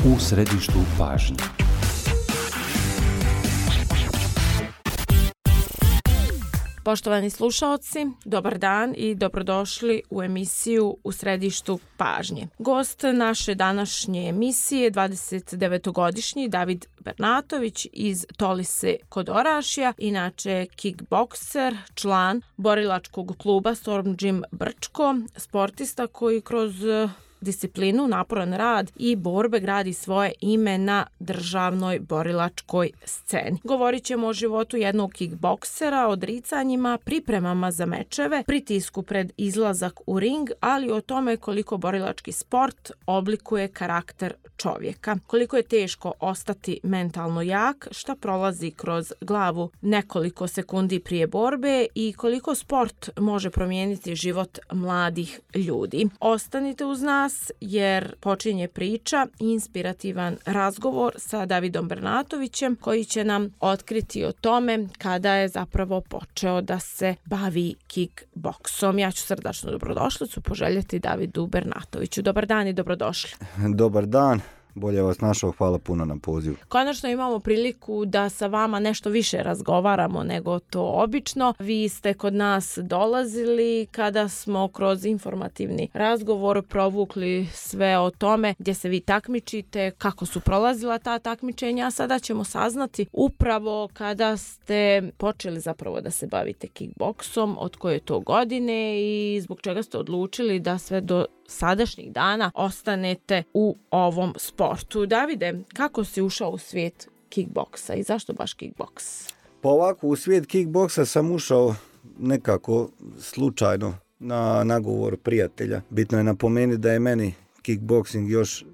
U središtu pažnje. Poštovani slušaoci, dobar dan i dobrodošli u emisiju U središtu pažnje. Gost naše današnje emisije, 29-godišnji David Bernatović iz Tolise kod Orašja, inače kickbokser, član borilačkog kluba Storm Gym Brčko, sportista koji kroz disciplinu, naporan rad i borbe gradi svoje ime na državnoj borilačkoj sceni. Govorit ćemo o životu jednog kickboksera, odricanjima, pripremama za mečeve, pritisku pred izlazak u ring, ali o tome koliko borilački sport oblikuje karakter čovjeka. Koliko je teško ostati mentalno jak, šta prolazi kroz glavu nekoliko sekundi prije borbe i koliko sport može promijeniti život mladih ljudi. Ostanite uz nas jer počinje priča i inspirativan razgovor sa Davidom Bernatovićem koji će nam otkriti o tome kada je zapravo počeo da se bavi kickboksom. Ja ću srdačnu dobrodošlicu poželjeti Davidu Bernatoviću. Dobar dan i dobrodošli. Dobar dan. Bolje vas našao, hvala puno na pozivu. Konačno imamo priliku da sa vama nešto više razgovaramo nego to obično. Vi ste kod nas dolazili kada smo kroz informativni razgovor provukli sve o tome gdje se vi takmičite, kako su prolazila ta takmičenja, a sada ćemo saznati upravo kada ste počeli zapravo da se bavite kickboksom, od koje to godine i zbog čega ste odlučili da sve do sadašnjih dana ostanete u ovom sportu. Davide, kako si ušao u svijet kickboksa i zašto baš kickboks? Pa ovako, u svijet kickboksa sam ušao nekako slučajno na nagovor prijatelja. Bitno je napomenuti da je meni kickboksing još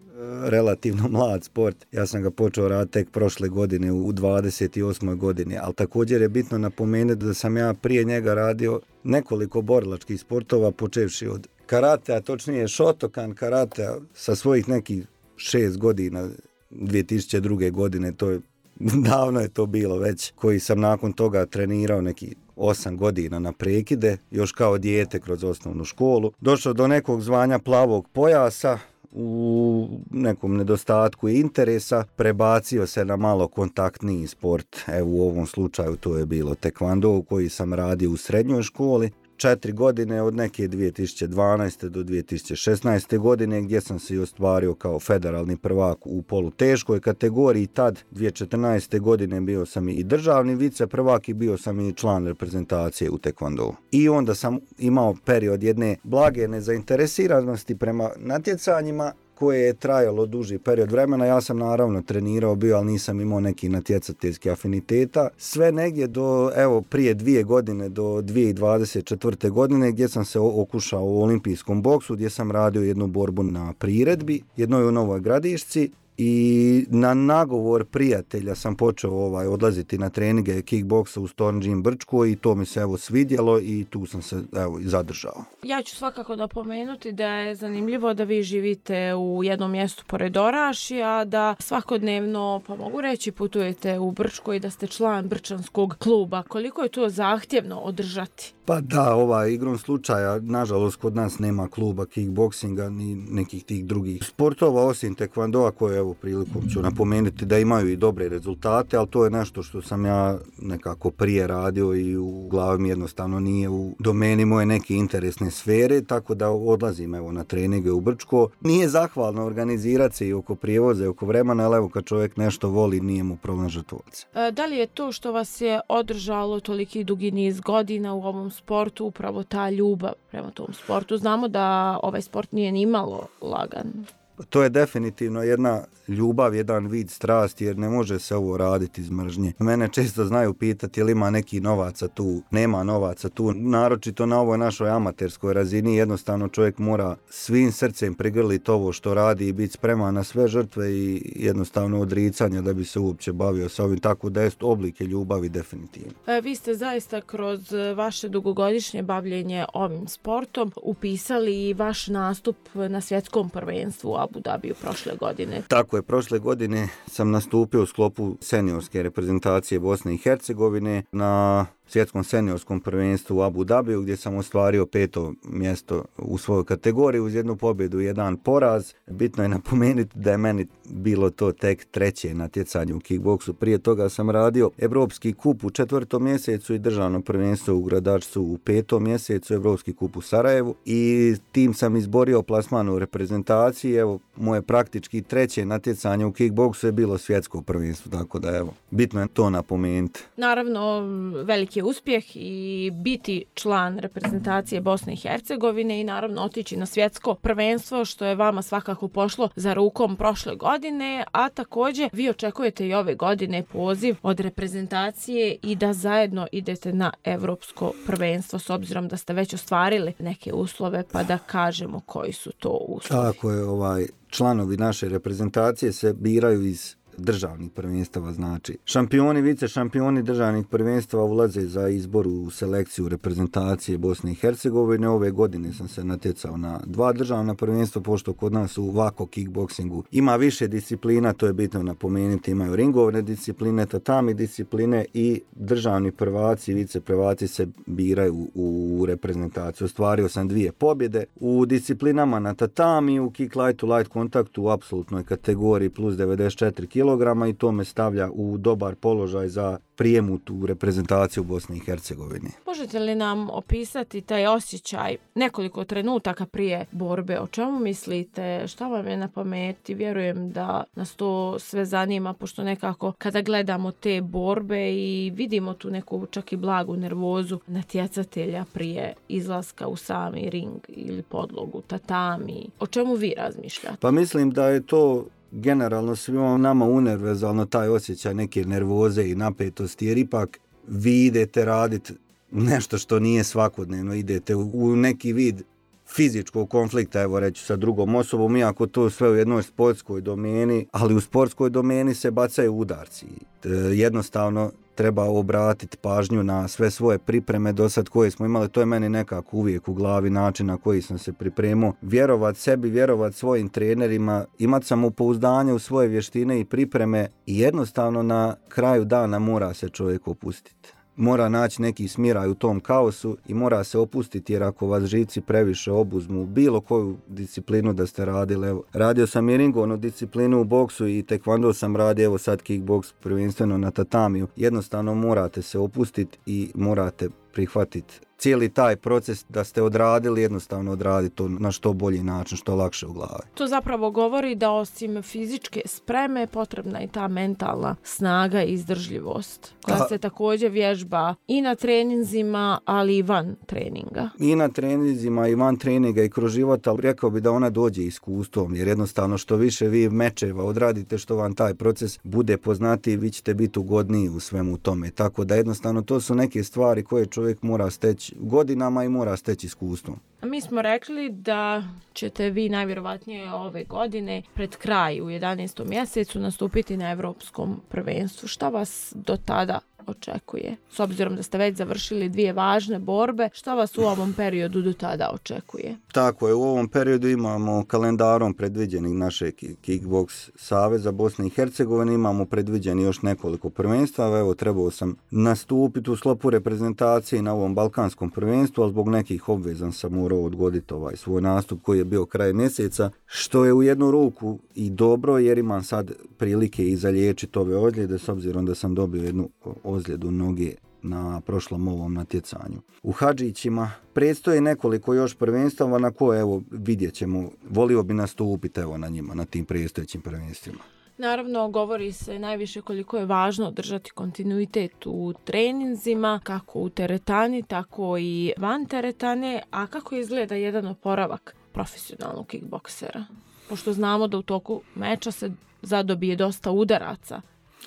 relativno mlad sport. Ja sam ga počeo raditi tek prošle godine u 28. godini, ali također je bitno napomenuti da sam ja prije njega radio nekoliko borilačkih sportova, počevši od karatea, točnije Shotokan karatea sa svojih nekih 6 godina, 2002. godine, to je, davno je to bilo već, koji sam nakon toga trenirao neki 8 godina na prekide, još kao dijete kroz osnovnu školu. Došao do nekog zvanja plavog pojasa, u nekom nedostatku interesa prebacio se na malo kontaktniji sport. Evo u ovom slučaju to je bilo tekvando koji sam radio u srednjoj školi. 4 godine od neke 2012. do 2016. godine gdje sam se i ostvario kao federalni prvak u poluteškoj kategoriji. Tad 2014. godine bio sam i državni vice prvak i bio sam i član reprezentacije u tekvandou. I onda sam imao period jedne blage nezainteresiranosti prema natjecanjima koje je trajalo duži period vremena. Ja sam naravno trenirao bio, ali nisam imao neki natjecateljski afiniteta. Sve negdje do, evo, prije 2 godine, do 2024. godine, gdje sam se okušao u olimpijskom boksu, gdje sam radio jednu borbu na priredbi, jednoj u Novoj Gradišci. I na nagovor prijatelja sam počeo odlaziti na treninge kickboksa u Storm Gym Brčko i to mi se svidjelo i tu sam se zadržao. Ja ću svakako napomenuti da je zanimljivo da vi živite u jednom mjestu pored Orašja, da svakodnevno, pa mogu reći, putujete u Brčko i da ste član brčanskog kluba. Koliko je to zahtjevno održati? Pa da, igrom slučaja, nažalost, kod nas nema kluba kickboksinga ni nekih tih drugih sportova, osim tekvandoa koje, evo, prilikom ću napomenuti da imaju i dobre rezultate, ali to je nešto što sam ja nekako prije radio i u glavi mi jednostavno nije u domeni moje neke interesne sfere, tako da odlazim na treninge u Brčko. Nije zahvalno organizirati se i oko prijevoza i oko vremena, ali evo kad čovjek nešto voli, nije mu problem žrtvovati se. Da li je to što vas je održalo toliki dugi niz godina u ovom sportu, upravo ta ljubav prema tom sportu? Znamo da ovaj sport nije ni malo lagan. To je definitivno jedna ljubav, jedan vid strasti, jer ne može se ovo raditi iz mržnje. Mene često znaju pitati jel ima neki novaca tu, nema novaca tu, naročito na ovoj našoj amaterskoj razini. Jednostavno čovjek mora svim srcem prigrliti ovo što radi i biti spreman na sve žrtve i jednostavno odricanja da bi se uopće bavio sa ovim, tako da je oblike ljubavi definitivno. Vi ste zaista kroz vaše dugogodišnje bavljenje ovim sportom upisali i vaš nastup na svjetskom prvenstvu u Abu Dhabiju prošle godine. Tako je, prošle godine sam nastupio u sklopu seniorske reprezentacije Bosne i Hercegovine na svjetskom seniorskom prvenstvu u Abu Dhabiju gdje sam ostvario 5. mjesto u svojoj kategoriji uz jednu pobjedu i jedan poraz. Bitno je napomenuti da je meni bilo to tek 3. natjecanje u kickboksu. Prije toga sam radio Evropski kup u 4. mjesecu i državno prvenstvo u Gradačcu u 5. mjesecu, Evropski kup u Sarajevu i tim sam izborio plasman u reprezentaciji. Evo, moje praktički 3. natjecanje u kickboksu je bilo svjetsko prvenstvo, tako da evo, bitno je to napomenuti. Naravno, veliki je uspjeh i biti član reprezentacije Bosne i Hercegovine i naravno otići na svjetsko prvenstvo, što je vama svakako pošlo za rukom prošle godine, a također vi očekujete i ove godine poziv od reprezentacije i da zajedno idete na evropsko prvenstvo, s obzirom da ste već ostvarili neke uslove, pa da kažemo koji su to uslovi. Tako je, članovi naše reprezentacije se biraju iz državnih prvenstava, znači šampioni, vice šampioni državnih prvenstava ulaze za izbor u selekciju reprezentacije Bosne i Hercegovine. Ove godine sam se natjecao na 2 državna prvenstva, pošto kod nas u Vako kickboksingu ima više disciplina, to je bitno napomenuti, imaju ringovne discipline, tatami discipline i državni prvaci i vice prvaci se biraju u reprezentaciju. Ostvario sam 2 pobjede u disciplinama na tatami, u kick lightu, light kontaktu u apsolutnoj kategoriji plus 94 kg i to me stavlja u dobar položaj za prijem u reprezentaciju Bosne i Hercegovine. Možete li nam opisati taj osjećaj nekoliko trenutaka prije borbe? O čemu mislite? Šta vam je na pameti? Vjerujem da nas to sve zanima, pošto nekako kada gledamo te borbe i vidimo tu neku čak i blagu nervozu natjecatelja prije izlaska u sami ring ili podlogu, tatami. O čemu vi razmišljate? Pa mislim da je to generalno svima nama univerzalno taj osjećaj neke nervoze i napetosti, jer ipak vi idete raditi nešto što nije svakodnevno, idete u neki vid fizičkog konflikta, evo reći sa drugom osobom, iako to sve u jednoj sportskoj domeni, ali u sportskoj domeni se bacaju udarci. Jednostavno treba obratiti pažnju na sve svoje pripreme do sad koje smo imali, to je meni nekako uvijek u glavi način na koji sam se pripremao. Vjerovat sebi, vjerovat svojim trenerima, imati samopouzdanje u svoje vještine i pripreme i jednostavno na kraju dana mora se čovjek opustiti. Mora naći neki smiraj u tom kaosu i mora se opustiti, jer ako vas živci previše obuzmu bilo koju disciplinu da ste radili, evo, radio sam i ringovnu disciplinu u boksu i tekvando sam radio, evo sad kickboks prvenstveno na tatamiju, jednostavno morate se opustiti i morate prihvatiti cijeli taj proces da ste odradili, jednostavno odraditi to na što bolji način, što lakše u glavi. To zapravo govori da osim fizičke spreme potrebna i ta mentalna snaga i izdržljivost, koja se također vježba i na treninzima, ali i van treninga. I na treninzima i van treninga i kroz život, ali rekao bi da ona dođe iskustvom, jer jednostavno što više vi mečeva odradite, što vam taj proces bude poznatiji, vi ćete biti ugodniji u svemu tome. Tako da jednostavno to su neke stvari koje čovjek mora steći godinama i mora steći iskustvom. Mi smo rekli da ćete vi najvjerovatnije ove godine pred kraj u 11. mjesecu nastupiti na Evropskom prvenstvu. Šta vas do tada očekuje? S obzirom da ste već završili 2 važne borbe, šta vas u ovom periodu do tada očekuje? Tako je, u ovom periodu imamo kalendarom predviđenih našeg Kickboks saveza Bosne i Hercegovine, imamo predviđeni još nekoliko prvenstva. Evo, trebao sam nastupiti u sklopu reprezentacije na ovom balkanskom prvenstvu, ali zbog nekih obveza sam morao odgoditi svoj nastup koji je bio kraj mjeseca, što je u jednu ruku i dobro, jer imam sad prilike i zaliječiti ove ozljede, s obzirom da sam dobio jednu ozljedu noge na prošlom ovom natjecanju. U Hadžićima predstoji nekoliko još prvenstava na koje, evo, vidjet ćemo, volio bi nastupiti evo na njima, na tim predstojećim prvenstvima. Naravno, govori se najviše koliko je važno držati kontinuitet u treninzima, kako u teretani, tako i van teretane, a kako izgleda jedan oporavak profesionalnog kickboksera? Pošto znamo da u toku meča se zadobije dosta udaraca.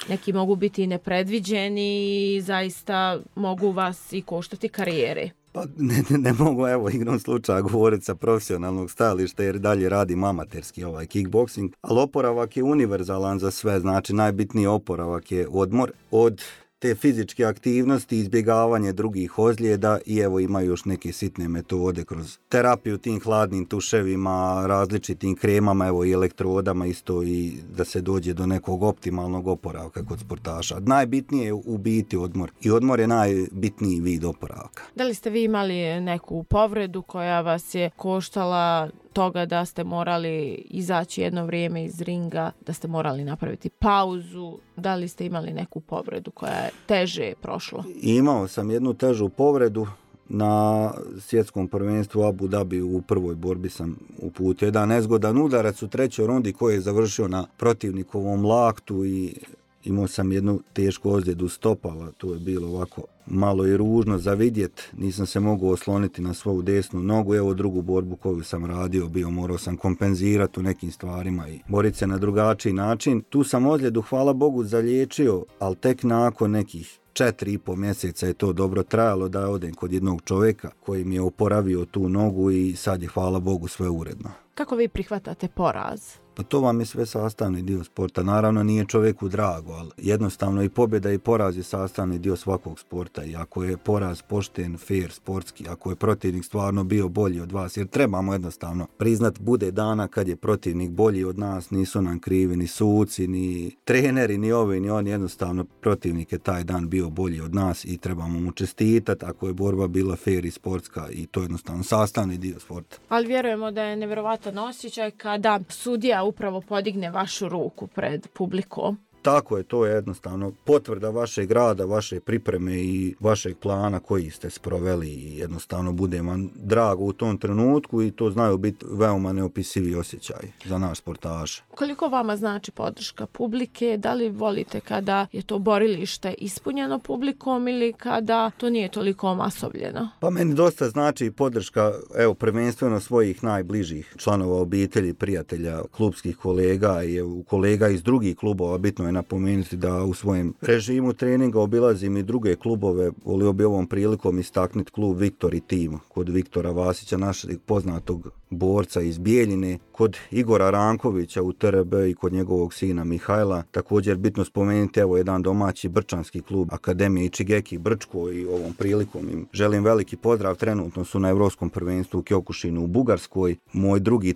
Neki mogu biti i nepredviđeni i zaista mogu vas i koštati karijere. Pa ne mogu, evo, igrom slučaja govoriti sa profesionalnog stajališta, jer dalje radim amaterski kickboksing, ali oporavak je univerzalan za sve, znači najbitniji oporavak je odmor od te fizičke aktivnosti, izbjegavanje drugih ozljeda i evo imaju još neke sitne metode kroz terapiju tim hladnim tuševima, različitim kremama, evo i elektrodama isto i da se dođe do nekog optimalnog oporavka kod sportaša. Najbitnije je u biti odmor i odmor je najbitniji vid oporavka. Da li ste vi imali neku povredu koja vas je koštala toga da ste morali izaći jedno vrijeme iz ringa, da ste morali napraviti pauzu? Da li ste imali neku povredu koja je teže prošla? Imao sam jednu težu povredu. Na svjetskom prvenstvu Abu Dhabi u prvoj borbi sam uputio jedan nezgodan udarac u trećoj rundi koji je završio na protivnikovom laktu i imao sam jednu tešku ozljedu stopala. To je bilo ovako malo i ružno za vidjet. Nisam se mogao osloniti na svoju desnu nogu. Evo drugu borbu koju sam radio morao sam kompenzirati u nekim stvarima i boriti se na drugačiji način. Tu sam ozljedu, hvala Bogu, zaliječio, ali tek nakon nekih 4,5 mjeseca je to dobro trajalo da odem kod jednog čovjeka koji mi je oporavio tu nogu i sad je, hvala Bogu, sve uredno. Kako vi prihvatate poraz? Pa to vam je sve sastavni dio sporta. Naravno nije čovjeku drago, ali jednostavno i pobjeda i poraz je sastavni dio svakog sporta. I ako je poraz pošten, fair, sportski, ako je protivnik stvarno bio bolji od vas, jer trebamo jednostavno priznat, bude dana kad je protivnik bolji od nas, nisu nam krivi ni suci, ni treneri, ni ovi, ni oni, jednostavno protivnik je taj dan bio bolji od nas i trebamo mu čestitati ako je borba bila fair i sportska i to je jednostavno sastavni dio sporta. Ali vjerujemo da je nevjerovatan osjećaj kada sudija upravo podigne vašu ruku pred publikom. Tako je, to je jednostavno potvrda vašeg rada, vaše pripreme i vašeg plana koji ste sproveli i jednostavno bude vam drago u tom trenutku i to znaju biti veoma neopisivi osjećaj za naš sportaš. Koliko vama znači podrška publike? Da li volite kada je to borilište ispunjeno publikom ili kada to nije toliko masovljeno? Pa meni dosta znači podrška, evo, prvenstveno svojih najbližih članova obitelji, prijatelja, klubskih kolega i kolega iz drugih klubova. Bitno je napomenuti da u svojem režimu treninga obilazim i druge klubove. Volio bi ovom prilikom istaknuti klub Viktor i Tim kod Viktora Vasića, našeg poznatog borca iz Bijeljine, kod Igora Rankovića u TRB i kod njegovog sina Mihajla. Također bitno spomenuti evo jedan domaći brčanski klub Akademije Ichigeki Brčko i ovom prilikom im želim veliki pozdrav. Trenutno su na Europskom prvenstvu u Kyokushinu u Bugarskoj. Moj drugi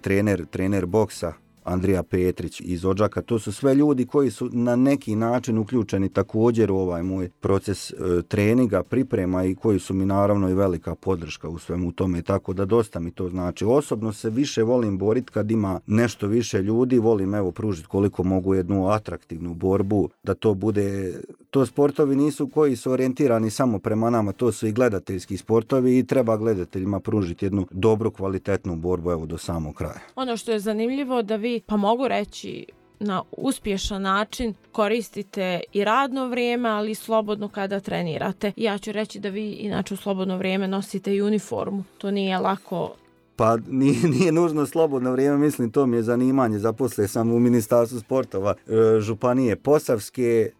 trener boksa Andrija Petrić iz Odžaka, to su sve ljudi koji su na neki način uključeni također u ovaj moj proces treninga, priprema i koji su mi naravno i velika podrška u svemu tome, tako da dosta mi to znači. Osobno se više volim boriti kad ima nešto više ljudi, volim evo pružiti koliko mogu jednu atraktivnu borbu, da to bude, to sportovi nisu koji su orijentirani samo prema nama, to su i gledateljski sportovi i treba gledateljima pružiti jednu dobru, kvalitetnu borbu evo do samog kraja. Ono što je zanimljivo da vi, pa mogu reći, na uspješan način koristite i radno vrijeme, ali i slobodno kada trenirate. Ja ću reći da vi inače u slobodno vrijeme nosite i uniformu. To nije lako. Pa nije nužno slobodno vrijeme, mislim to mi je zanimanje. Zaposlio sam u Ministarstvu sportova Županije Posavske.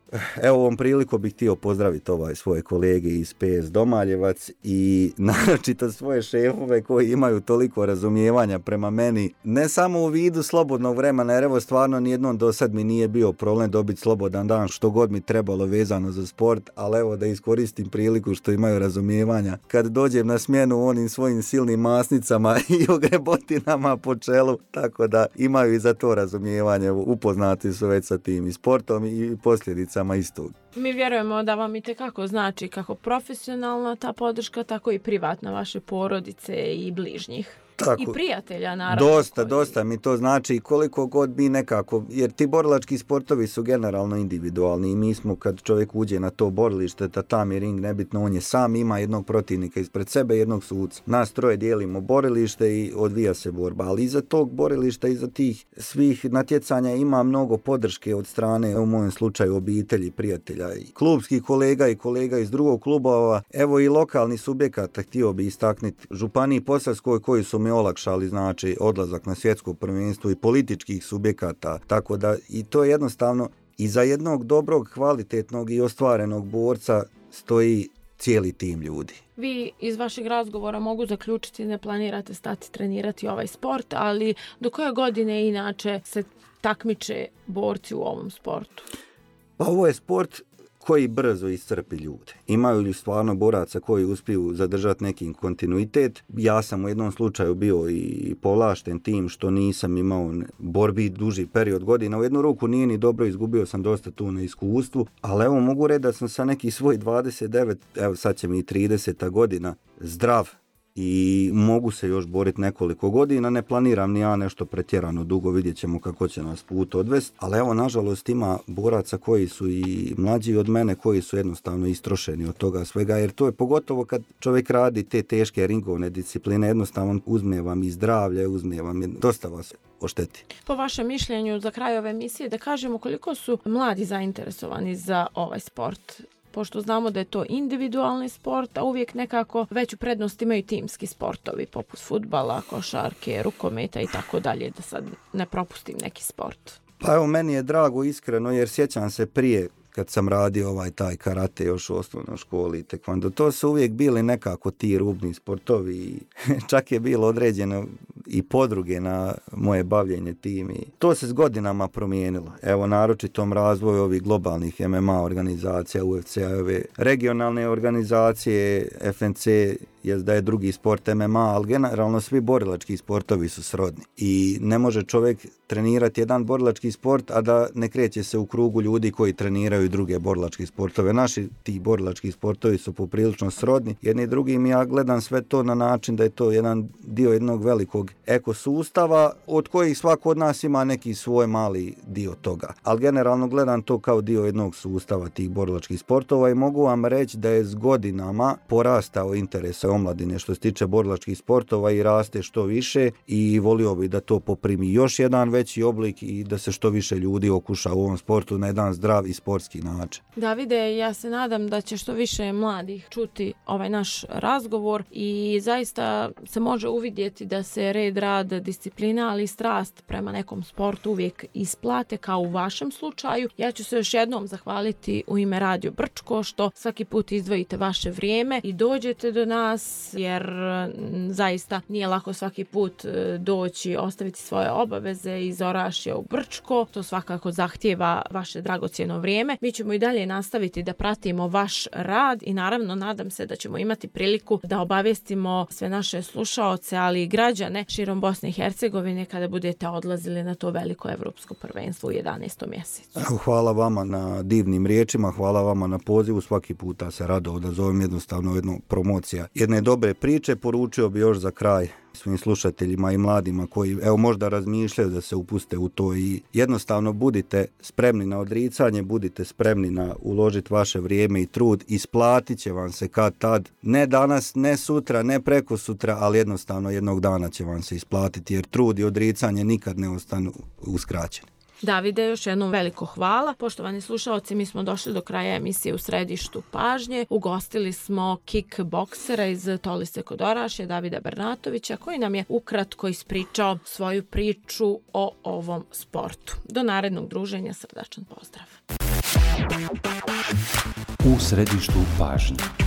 Evo ovom priliku bih htio pozdraviti svoje kolege iz PS Domaljevac i naročito svoje šefove koji imaju toliko razumijevanja prema meni. Ne samo u vidu slobodnog vremena, jer evo stvarno nijednom do sad mi nije bio problem dobiti slobodan dan što god mi trebalo vezano za sport, ali evo da iskoristim priliku što imaju razumijevanja. Kad dođem na smjenu onim svojim silnim masnicama i ogrebotinama po čelu, tako da imaju i za to razumijevanje. Upoznati su već sa tim i sportom i posljedicama istog. Mi vjerujemo da vam itekako znači kako profesionalna ta podrška, tako i privatna vaše porodice i bližnjih. Tako, i prijatelja naravno. Dosta mi to znači koliko god mi nekako, jer ti borilački sportovi su generalno individualni i mi smo kad čovjek uđe na to borilište, tatami ring, nebitno, on je sam, ima jednog protivnika ispred sebe, jednog suca. Nas troje dijelimo borilište i odvija se borba, ali iza tog borilišta, iza tih svih natjecanja ima mnogo podrške od strane, u mojem slučaju, obitelji, prijatelja i klubskih kolega i kolega iz drugog klubova, evo i lokalni subjekata, htio bi istaknuti Županiji Posavskoj koji su mi olakšali znači odlazak na svjetsko prvenstvo i političkih subjekata, tako da i to je jednostavno iza jednog dobrog, kvalitetnog i ostvarenog borca stoji cijeli tim ljudi. Vi iz vašeg razgovora mogu zaključiti ne planirate stati trenirati ovaj sport, ali do koje godine inače se takmiče borci u ovom sportu? Pa ovo je sport koji brzo iscrpi ljude. Imaju li stvarno boraca koji uspiju zadržati neki kontinuitet? Ja sam u jednom slučaju bio i povlašten tim što nisam imao borbi duži period godina. U jednu ruku nije ni dobro, izgubio sam dosta tu na iskustvu, ali evo mogu reći da sam sa neki svoj 29, evo sad će mi i 30 godina, zdrav i mogu se još boriti nekoliko godina, ne planiram ni ja nešto pretjerano dugo, vidjet ćemo kako će nas put odvesti, ali evo nažalost ima boraca koji su i mlađi od mene, koji su jednostavno istrošeni od toga svega, jer to je pogotovo kad čovjek radi te teške ringovne discipline, jednostavno uzme vam i zdravlje, uzme vam dosta vas ošteti. Po vašem mišljenju za kraj ove emisije da kažemo koliko su mladi zainteresovani za ovaj sport? Pošto znamo da je to individualni sport, a uvijek nekako veću prednost imaju timski sportovi, poput fudbala, košarke, rukometa i tako dalje, da sad ne propustim neki sport. Pa evo, meni je drago iskreno, jer sjećam se prije kad sam radio taj karate još u osnovnoj školi i tekvando, to su uvijek bili nekako ti rubni sportovi, čak je bilo određeno i podruge na moje bavljenje tim i to se s godinama promijenilo. Evo, naročitom razvoju ovih globalnih MMA organizacija, UFC-a, ove regionalne organizacije, FNC, jest da je drugi sport MMA, ali generalno svi borilački sportovi su srodni. I ne može čovjek trenirati jedan borilački sport, a da ne kreće se u krugu ljudi koji treniraju druge borilački sportove. Naši ti borilački sportovi su poprilično srodni. Jedni drugim, ja gledam sve to na način da je to jedan dio jednog velikog ekosustava, od kojih svako od nas ima neki svoj mali dio toga. Ali generalno gledam to kao dio jednog sustava tih borilačkih sportova i mogu vam reći da je s godinama porastao interes omladine što se tiče borilačkih sportova i raste što više i volio bi da to poprimi još jedan veći oblik i da se što više ljudi okuša u ovom sportu na jedan zdrav i sportski način. Davide, ja se nadam da će što više mladih čuti ovaj naš razgovor i zaista se može uvidjeti da se red, rad, disciplina, ali i strast prema nekom sportu uvijek isplate kao u vašem slučaju. Ja ću se još jednom zahvaliti u ime Radio Brčko što svaki put izdvojite vaše vrijeme i dođete do nas, jer zaista nije lako svaki put doći, ostaviti svoje obaveze iz Orašja u Brčko. To svakako zahtijeva vaše dragocjeno vrijeme. Mi ćemo i dalje nastaviti da pratimo vaš rad i naravno nadam se da ćemo imati priliku da obavijestimo sve naše slušaoce, ali i građane širom Bosne i Hercegovine kada budete odlazili na to veliko evropsko prvenstvo u 11. mjesecu. Hvala vama na divnim riječima, hvala vama na pozivu. Svaki puta se rado odazovem, jednostavno jedna promocija jedne dobre priče. Poručio bi još za kraj svim slušateljima i mladima koji evo možda razmišljaju da se upuste u to i jednostavno budite spremni na odricanje, budite spremni na uložiti vaše vrijeme i trud, isplatit će vam se kad tad, ne danas, ne sutra, ne preko sutra, ali jednostavno jednog dana će vam se isplatiti jer trud i odricanje nikad ne ostanu uskraćeni. Davide, još jednom veliko hvala. Poštovani slušalci, mi smo došli do kraja emisije U središtu pažnje. Ugostili smo kickboksera iz Tolise kod Orašja, Davida Bernatovića, koji nam je ukratko ispričao svoju priču o ovom sportu. Do narednog druženja, srdačan pozdrav. U središtu pažnje.